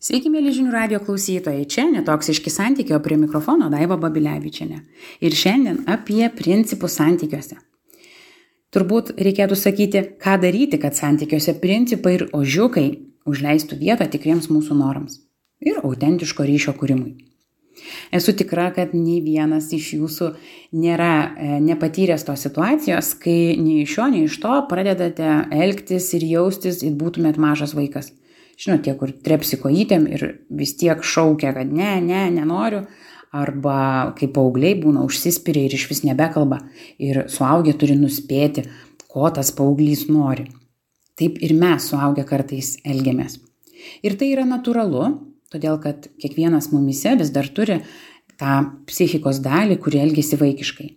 Sveiki, mėly žinių radio klausytojai, čia Netoksiški santykiai, o prie mikrofono Daiva Babilevičienė. Ir šiandien apie principus santykiuose. Turbūt reikėtų sakyti, ką daryti, kad santykiuose principai ir ožiukai užleistų vietą tikriems mūsų norams ir autentiško ryšio kūrimui. Esu tikra, kad nei vienas iš jūsų nėra nepatyręs tos situacijos, kai nei iš šio, nei iš to pradedate elgtis ir jaustis, it būtumėt mažas vaikas. Žinot, tie, kur trepsi kojytėm ir vis tiek šaukia, kad nenoriu, arba kaip paaugliai būna užsispiria ir iš vis nebekalba ir suaugę turi nuspėti, ko tas paauglys nori. Taip ir mes suaugę kartais elgiamės. Ir tai yra natūralu, todėl kad kiekvienas mumyse vis dar turi tą psichikos dalį, kuri elgiasi vaikiškai.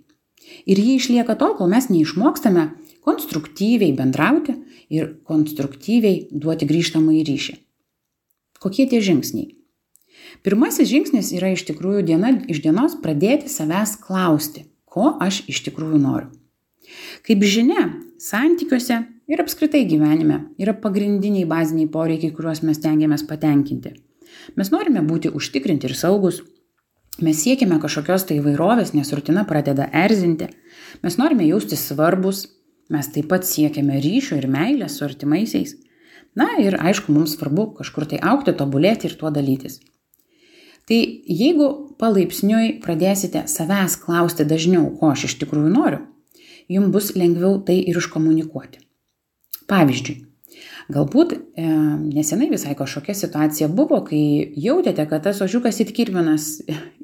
Ir ji išlieka tol, kol mes neišmokstame konstruktyviai bendrauti ir konstruktyviai duoti grįžtamąjį ryšį. Kokie tie žingsniai? Pirmasis žingsnis yra iš tikrųjų diena iš dienos pradėti savęs klausti, ko aš iš tikrųjų noriu. Kaip žinia, santykiuose ir apskritai gyvenime yra pagrindiniai baziniai poreikiai, kuriuos mes stengiamės patenkinti. Mes norime būti užtikrinti ir saugus. Mes siekime kažkokios tai įvairovės, nes rutina pradeda erzinti. Mes norime jaustis svarbus. Mes taip pat siekiame ryšio ir meilės su artimaisiais. Na ir aišku, mums svarbu kažkur tai augti, tobulėti ir tuo dalytis. Tai jeigu palaipsniui pradėsite savęs klausti dažniau, ko aš iš tikrųjų noriu, jums bus lengviau tai ir iškomunikuoti. Pavyzdžiui, galbūt nesenai visai kažkokia situacija buvo, kai jautėte, kad tas ožiukas it kirminas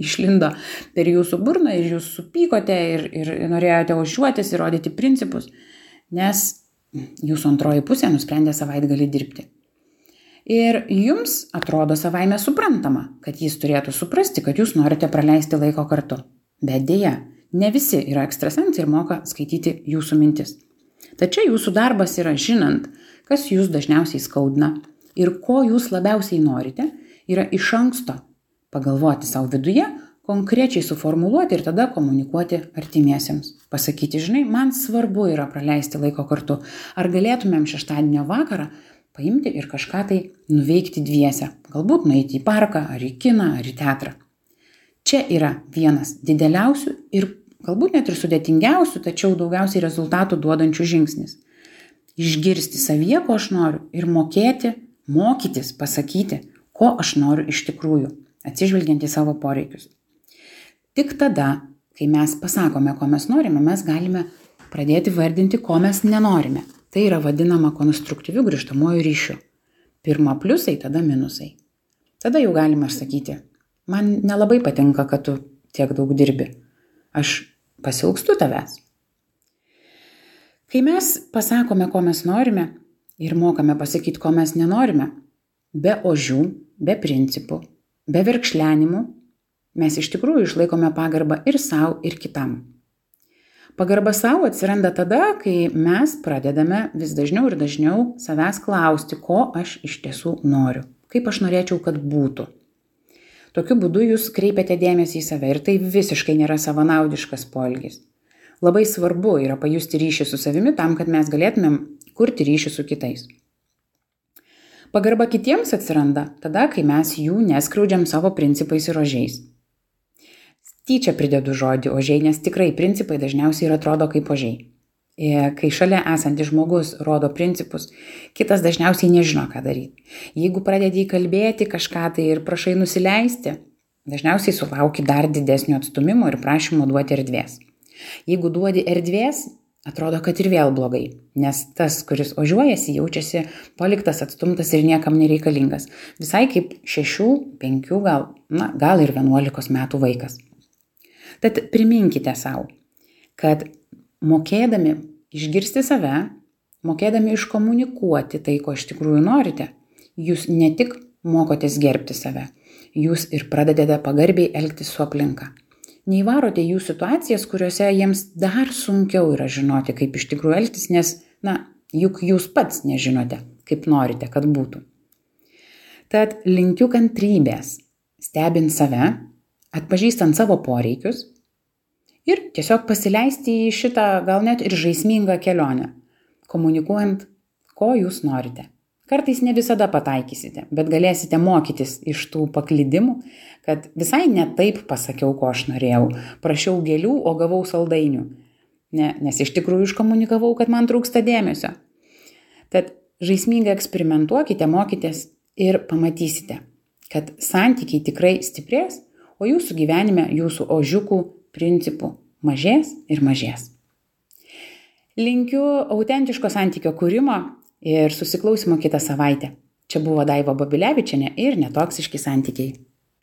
išlindo per jūsų burną ir jūs supykote ir norėjote ožiuotis ir rodyti principus, nes jūsų antroji pusė nusprendė savaitgalį dirbti. Ir jums atrodo savaime suprantama, kad jis turėtų suprasti, kad jūs norite praleisti laiko kartu. Bet deja, ne visi yra ekstrasensai ir moka skaityti jūsų mintis. Tačiau jūsų darbas yra žinant, kas jūs dažniausiai skaudina ir ko jūs labiausiai norite, yra iš anksto pagalvoti savo viduje, konkrečiai suformuluoti ir tada komunikuoti artimiesiems. Pasakyti, žinai, man svarbu yra praleisti laiko kartu. Ar galėtumėm šeštadienio vakarą paimti ir kažką tai nuveikti dviese? Galbūt nueiti į parką, ar į kiną, ar į teatrą. Čia yra vienas dideliausių ir galbūt net ir sudėtingiausių, tačiau daugiausiai rezultatų duodančių žingsnis. Išgirsti savyje, ko aš noriu ir mokytis, pasakyti, ko aš noriu iš tikrųjų, atsižvelgiant į savo poreikius. Tik tada, kai mes pasakome, ko mes norime, mes galime pradėti vardinti, ko mes nenorime. Tai yra vadinama konstruktyviu grįžtamuoju ryšiu. Pirma pliusai, tada minusai. Tada jau galime sakyti, man nelabai patinka, kad tu tiek daug dirbi. Aš pasiilgstu tavęs. Kai mes pasakome, ko mes norime ir mokame pasakyti, ko mes nenorime, be ožių, be principų, be verkšlenimų, mes iš tikrųjų išlaikome pagarbą ir savo, ir kitam. Pagarba savo atsiranda tada, kai mes pradedame vis dažniau ir dažniau savęs klausti, ko aš iš tiesų noriu, kaip aš norėčiau, kad būtų. Tokiu būdu jūs kreipiate dėmesį į save ir tai visiškai nėra savanaudiškas poelgis. Labai svarbu yra pajusti ryšį su savimi tam, kad mes galėtumėm kurti ryšį su kitais. Pagarba kitiems atsiranda tada, kai mes jų neskriaudžiam savo principais ir ožiais. Tyčia pridedu žodį ožiai, nes tikrai principai dažniausiai ir atrodo kaip ožiai. Kai šalia esantis žmogus rodo principus, kitas dažniausiai nežino, ką daryti. Jeigu pradedi įkalbėti kažką tai ir prašai nusileisti, dažniausiai sulauki dar didesnio atstumimo ir prašymo duoti erdvės. Jeigu duodi erdvės, atrodo, kad ir vėl blogai, nes tas, kuris ožiuojasi, jaučiasi paliktas, atstumtas ir niekam nereikalingas. Visai kaip 6, 5, gal ir 11 metų vaikas. Tad priminkite savo, kad mokėdami išgirsti save, mokėdami iškomunikuoti tai, ko iš tikrųjų norite, jūs ne tik mokotės gerbti save, jūs ir pradedate pagarbiai elgtis su aplinka. Neįvarote jų situacijas, kuriuose jiems dar sunkiau yra žinoti, kaip iš tikrųjų elgtis, nes, juk jūs pats nežinote, kaip norite, kad būtų. Tad linkiu kantrybės, stebint save, atpažįstant savo poreikius ir tiesiog pasileisti į šitą gal net ir žaismingą kelionę, komunikuojant, ko jūs norite, Kartais ne visada pataikysite, bet galėsite mokytis iš tų paklydimų, kad visai ne taip pasakiau, ko aš norėjau. Prašiau gėlių, o gavau saldainių. Nes iš tikrųjų iškomunikavau, kad man trūksta dėmesio. Tad žaismingai eksperimentuokite, mokitės ir pamatysite, kad santykiai tikrai stiprės, o jūsų gyvenime jūsų ožiukų principų mažės ir mažės. Linkiu autentiško santykio kūrimo ir susiklausimo kitą savaitę. Čia buvo Daiva Babilevičienė ir Netoksiški santykiai.